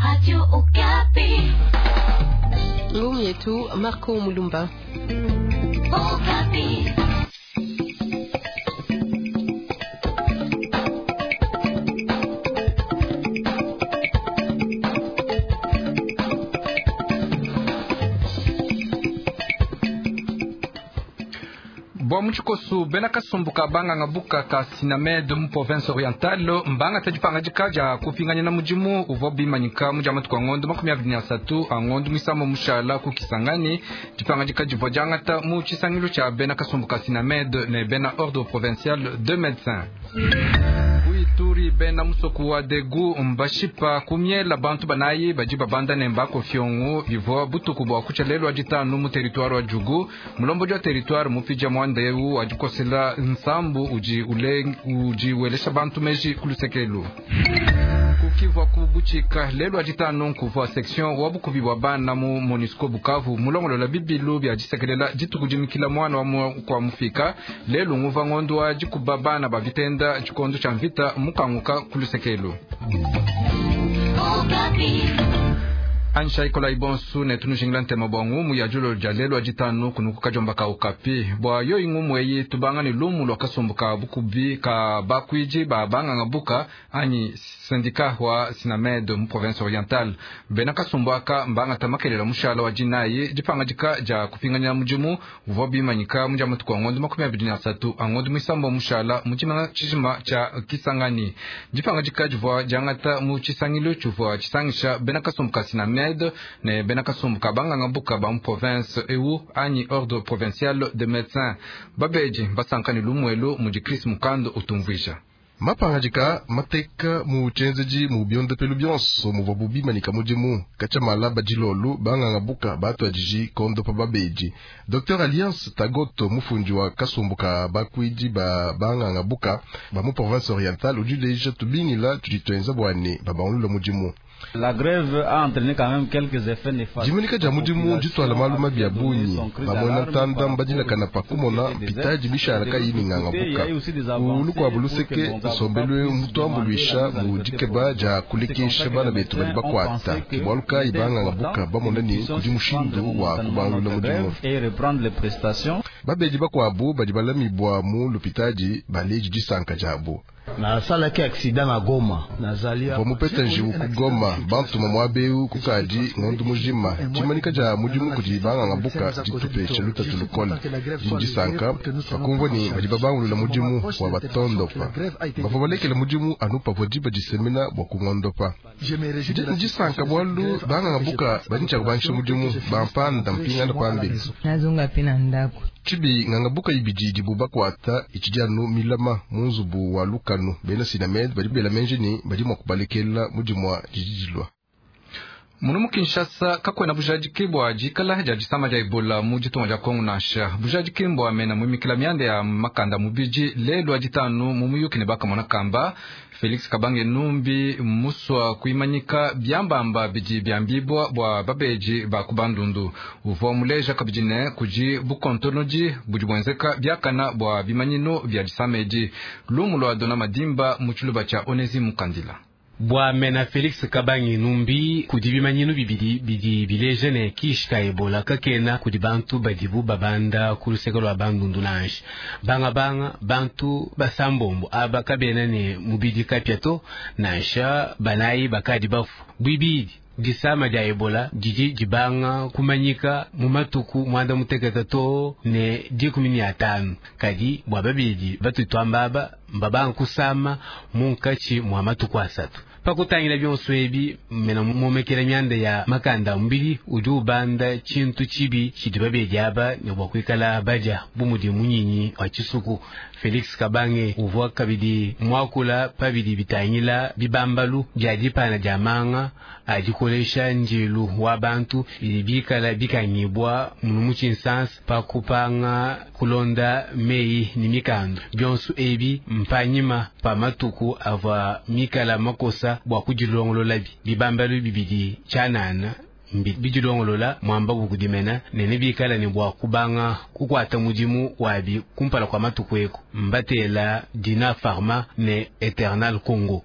Radio Okapi. Ngumu yetu Marco Mulumba. Okapi. Bua mu tshikosu bena kasumbu ka banganga buka ka Sinamed mu province orientale mbangata dipangadika dia kupinganyina mudimu uvua bimanyika mu dia matuku a ngondo 23 a ngondo muisamba mushala ku Kisangani. Dipangadika divua diangata mu tshisangilu tshia bena kasumbu ka Sinamed ne bena ordre provincial de médecins. Ku Ituri bena musoko wa Degu mbashipa kumiela bantu banayi badi babanda ne mbakofyongo bivua butuku bua kutsha lelu wa ditanu mu territoire wa Djugu. Mulombodi wa territoire mupija mwanda eu wa dikosela nsambu udi ule, udi welesha bantu meji kulusekelu kukivua kubuchika lelu wa ditanu nkuvua section wa bukubi bwa bana mu MONUSCO Bukavu mulongolola bibilu bya disekelela dituku dimikila mwana wa kwa mufika lelu nguva ngondo wa dikuba bana ba vitenda tshikondo tshia mvita mukanguka kulusekelu Ansha ikola ibonsu ne tunujingila ntema bwa ngumu ya julo lya lelu aditanu kunuku kajomba ka Okapi bwa yo ingumu eyi tubanga ni lumu lwa kasumbu ka bukubi ka bakwiji ba banganga buka anyi syndicat wa Sinamed mu province orientale bena kasumbu aka mbanga tamakelela mushala wa jinayi dipangadika dia kupinganya mudimu uvua bimanyika mu dia matuku a ngondo 23 a ngondo muisamba mushala mu tshimanga tshijima tshia Kisangani. Dipangadika divua diangata mu tshisangilu tshivua tshisangisha bena kasumbu ka Sinamed ne bena kasumbu ka banganga buka ba mu province eu anyi ordre provincial de médecins babedi basankani lumuelu mudi Chris Mukando utumvuija. Mapangadika mateka mu tshienzedi mu biondopelu bionso muvua bubimanyika mudimu katshamala badilolu banganga buka batuadiji kondopa babedi. Dr Alliance Tagoto mufundi wa kasumbu ka bakwidi ba banganga buka ba mu province orientale udi uleja tubingila tudi tuenza bua ne babangulula mudimu. La grève a entraîné quand même quelques effets néfastes. Dimunika dia mudimu dituala malu mabi a bungi bamona ntanda mbadilakana pa kumona mpitaji mishala kayi minganga buka ulu luseke nsombelu mutuambuluisha mu dikeba dia kulekesha bana betu badi bakuata bualu kayi banganga buka bamona ne kudi mushindu wa kubangulula mudimu. Et reprendre les prestations. Babedi bakuabu badi balamibwa mu lupitadi baleji disanka diabu. Nasalaki accident na Goma nazali mvua mupeta njiwu ku Goma bantuma muaba eu kukadi ngondo mujima tshimanika dia mudimu kudi banganga buka ditupesha lutatu lukole ndi disanka pakumvua ne badi babangulula mudimu wa batondopa bavua balekela mudimu anu pavua diba disemena bua kungondopa ndi disanka bualu banganga buka badi ntshia kubangisha mudimu bampanda mpingana pambelu. Nazonga pe na ndako. Tshibi nganga buka ibidi idibu bakuata itshidi anu milama mu nzubu wa lukanu bena Sinamed badi bela menji ne badi mua kubalekela mudimu wa dididilwa. Munu mu Kinshasa kakuena bujadiki bua dikala dia disama dia Ebola mu ditunga dia Kongo nansha. Bujadiki mbua mena muimikila mianda ya makanda mubidi lelu wa ditanu mu muyuki ne bakamona kamba Felix Kabange Numbi musua kuimanyika biambamba bidi biambibwa bua babeji ba ku Bandundu. Uvua muleja kabidi ne kudi bukontonodi budi buenzeka biakana bua bimanyinu bia disama edi. Lumu lua Dona Madimba mu tshiluba tshia Onesi Mukandila. Bua mena Felix Kabange Numbi kudi bimanyinu bibidi bidi bileja ne kishi ka Ebola kakena kudi bantu badibu babanda ku luseke lua Bandundu nansha. Banga banga bantu basambombo aba kabena ne mubidi kapia to nansha banayi bakadi bafu. Bwibidi disama dia Ebola didi dibanga kumanyika mu matuku mwanda mutekete to ne 15 kadi bua babidi batutwamba aba mbabanga kusama munkatshi mwa matuku asatu. Pakutangila bionso ebi mena momekela mianda ya makanda mubili udi ubanda tshintu tshibi tshidi babedi aba ne bua kuikala badia bu mudi munyinyi wa tshisuku. Felix Kabange uvua kabidi muakula pabidi bitangila bibambalu bia dipana dia manga adikolesha njilu wa bantu bidi bikala bikangibwa munu mu tshinsansa pa kupanga kulonda meyi ni mikando bionso ebi mpanyima pa matuku avua mikala makosa bua kudilongololabi bibambalu bibidi tshianana bidilongolola mwamba bukudimena nene bikala ne bua kubanga kukwata mudimu wabi kumpala kwa matuku eko mbatela Dina Pharma ne Eternal Congo.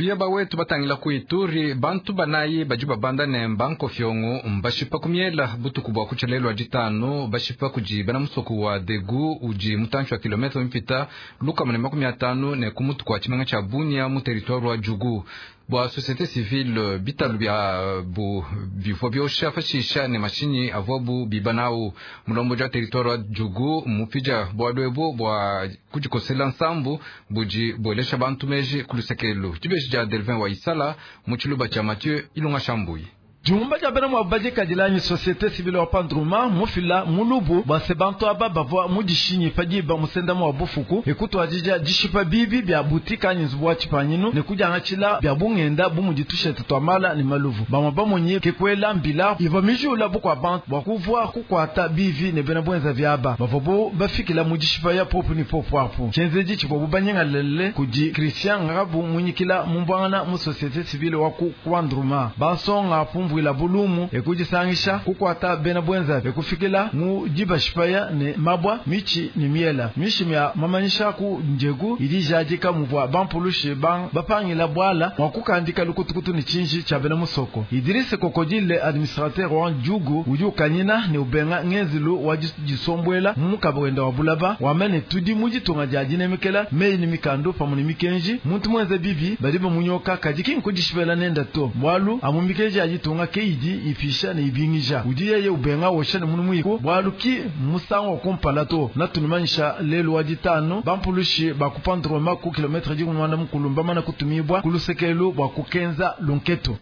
Tuya bawetu batangila ku Ituri, bantu banayi badi babanda ne mbankofyongo mbashipa kumiela butuku bwa kuchelelwa ditano bashipa kudi bena musoko wa Degu udi mutantshi wa kilometre mipita lukama ne 50 ne kumutu kwa tshimenga tsha Bunia mu territoire wa Djugu. Bwa société civile bitalu bya bu bivua biosha fashisha ne mashinyi avuabu bibanawu mulombo ja territoire wa Djugu mupija bwa lwebo bwa kujikosela nsambu budi bwelesha bantu meji kulusekelu. Dibeji dia Delvin wa Isala mu tshiluba tshia Mathieu Ilunga Shambuyi. Jumba ja bena mwa badikadilanyi société civile wa Pandruma mufila mulubu bwa sebantu aba bavua mudishinyi padiba musenda mwa bufuku ekutwadija dishipa bibi bya butika nyi nzubu wa tshipanyinu ne kudiangatshila bya bungenda bumuditushete twamala ne maluvu bamwe bamonye kekwela mbila iva mijula bukwa bantu bwa kuvua kukwata bivi ne bena bwenza vyaba bavua bo bafikila mudishipa ya popu ni popu apu chenzeji chivua bubanyengalele kudi Christian Ngabu munyikila mumbwangana mu société civile wa ku Pandruma basonga pumvu ila bulumu ekujisangisha kukwata bena bwenza ekufikila mu dibashipaya ne mabwa michi ni miela mishimi ya mamanyisha ku njegu ilijajika muvwa bampulushe bang bapangila bwala mwakukandika lukutukutu ni chinji cha bena musoko. Idrisse Kokodile administrateur wa Djugu udi ukanyina ne ubenga ngenzilu wa jisombwela mumukabwenda wa bulaba wamene tudi mujitunga ja dinemekela meyi ni mikando pamwe ni mikenji muntu mwenze bibi bali bamunyoka kadi kinkudishibela nenda to bwalu amumikeji ajitunga keidi ifisha ne ibingija udi yeye ubenga wosha ne munu muyiku bwalu ki musango kumpala to natunumanyisha lelu wa ditano bampulushi bakupandroma ku kilometre jikumwana mukulumba mana kutumibwa kulusekelu bwa kukenza lunketo.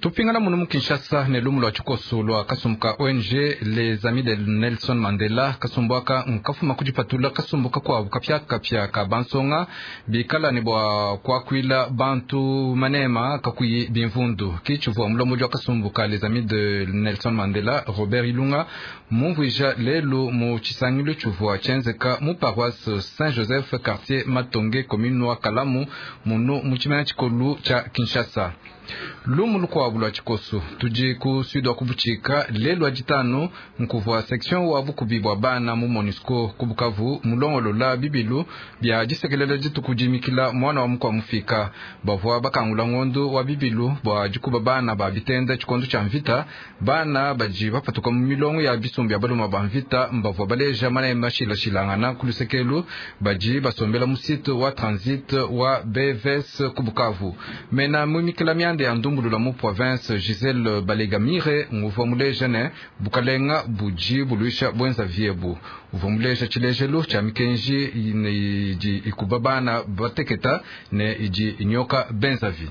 Tupingana munu mu Kinshasa ne lumu lwa tshikoso lwa kasumbuka ONG Les Amis de Nelson Mandela kasumbuaka nkafuma kudipatula kasumbuka kwabu kapya kapya ka bansonga bikala ne bwa kwakwila bantu manema kakuyi bimvundu kichuvua mulomo jwa kasumbuka Les Amis de Nelson Mandela Robert Ilunga mumvuija lelu mu tshisangilu tshuvua tshenzeka mu paroisse Saint Joseph quartier Matonge commune wa Kalamu munu mu tshimena tshikolu tshia Kinshasa. Lumu lukwabu lwa tshikoso tudi ku sud wa kubuchika lelu wa ditano nkuvua section wa bukubi bwa bana mu MONUSCO ku Bukavu mulongolola bibilu bya disekelela dituku dimikila mwana wa mukwa mufika bavua bakangula ngondo wa bibilu bwa dikuba bana ba bitenda tshikondo tshia mvita bana badi bapatuka mu milongo ya bisumbu ya baluma ba mvita mbavua baleja mana mashilashilangana ku lusekelu badi basombela mu site wa transit wa BVS ku Bukavu mena mumikila mianda ya ndumbulula mu province Giselle Balegamire nguvua muleja ne bukalenga buji buluisha bwenza viebu uvua muleja tshilejelu tshia mikenji idi ikuba bana bateketa ne idi inyoka benzavi.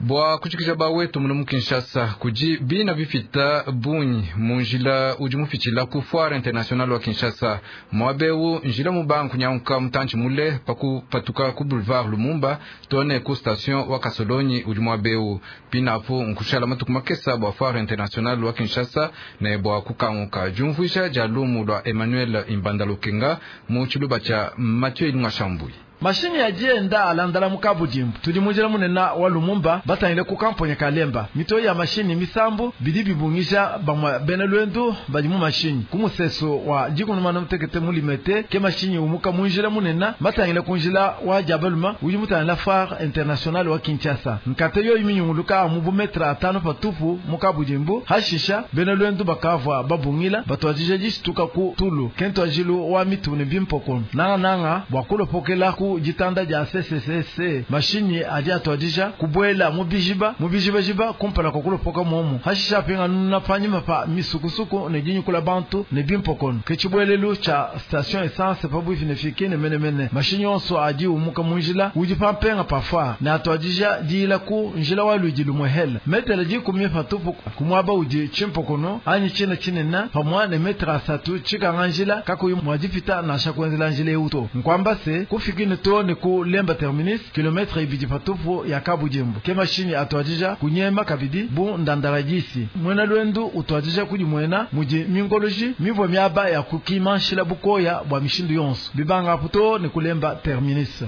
Bwa kuchikisha bawetu muno mu Kinshasa kuji bina bifita bunyi munjila udi mufitshila ku foire internationale wa Kinshasa mwabeu njila mubanku nyanka mutantshi mule pakupatuka ku boulevard Lumumba tone ku station wa Kasolonyi udi mwabeu pinapo nkushala matuku makesa bwa foire internationale wa Kinshasa ne bwa kukanguka jumvuisha ja lumu lwa Emmanuel Imbanda Lukenga mu tshiluba tsha Mathieu Ilunga Shambui. Mashini ya jenda alandala mukabudimbu tudi munjila munena wa Lumumba batangile ku kamponya kalemba mito ya mashini misambu bidi bibungisha bamwa bena lwendu bali mu mashini ku museso wa jikunumana mutekete mulimete ke mashini umuka munjila munena batangile kunjila wa jabaluma udi mutangila foire internationale wa Kinshasa nkate yo iminyunguluka mu bumetra atano patupu mukabudimbu hashisha bena lwendu bakavwa babungila batwajije jishituka ku tulu kento ajilu wa mitune bimpoko nanga nanga bwakulopokela ku jitanda ja CCCC mashini adi atwadija kubwela mubijiba mubijibajiba kumpala kokulopoka momu hashisha pinga nuna panyima pa misukusuku ne jinyukula bantu ne bimpokono kechibwelelu cha station essence pabuivi ne fikine menemene mashini onso adi umuka munjila udi pampenga pafwa ne atwadija diila ku njila wa luidi lumwehela metele jikumi patupu kumwaba udi chimpokono anyi china chinena pamwa ne metra asatu chikanga njila kakuyi mwadipita nasha kuenzela njila euto nkwamba se kufikine to ne ku lemba terminus kilometre ibidi patupu ya kabujimbu ke mashini atwadija kunyema kabidi bu ndandarajisi mwena lwendu utwadija kudi mwena muji mingoloji mivwa miaba ya kukimanshila bukoya bwa mishindu yonso bibanga puto ne kulemba terminus.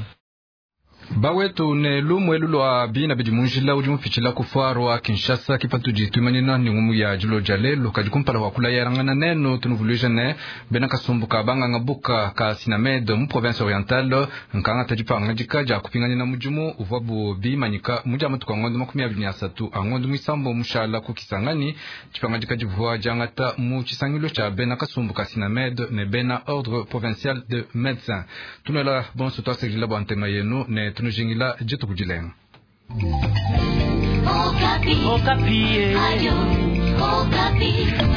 Bawetu ne lumu elu lua bina bidi mu njila udi mupitshila ku foire wa Kinshasa ke patudi tuimanyina ne ngumu ya dilo dia lelu. Kadi kumpala kua kulayangana nenu, tunuvuluija ne bena kasumbu ka banganga buka ka Sinamed mu province orientale nkangata dipangadika dia kupinganyina mudimu uvuabu bimanyika mu dia matuku a ngondo 23 a ngondo muisambo mushala ku Kisangani. Dipangadika divua diangata mu tshisangilu tshia bena kasumbu ka Sinamed ne bena ordre provincial de médecins. Tunuela bonso tuasakidila bua ntema yenu ne tunujingila dituku dilenga. Okapi. Okapi. Radio Okapi.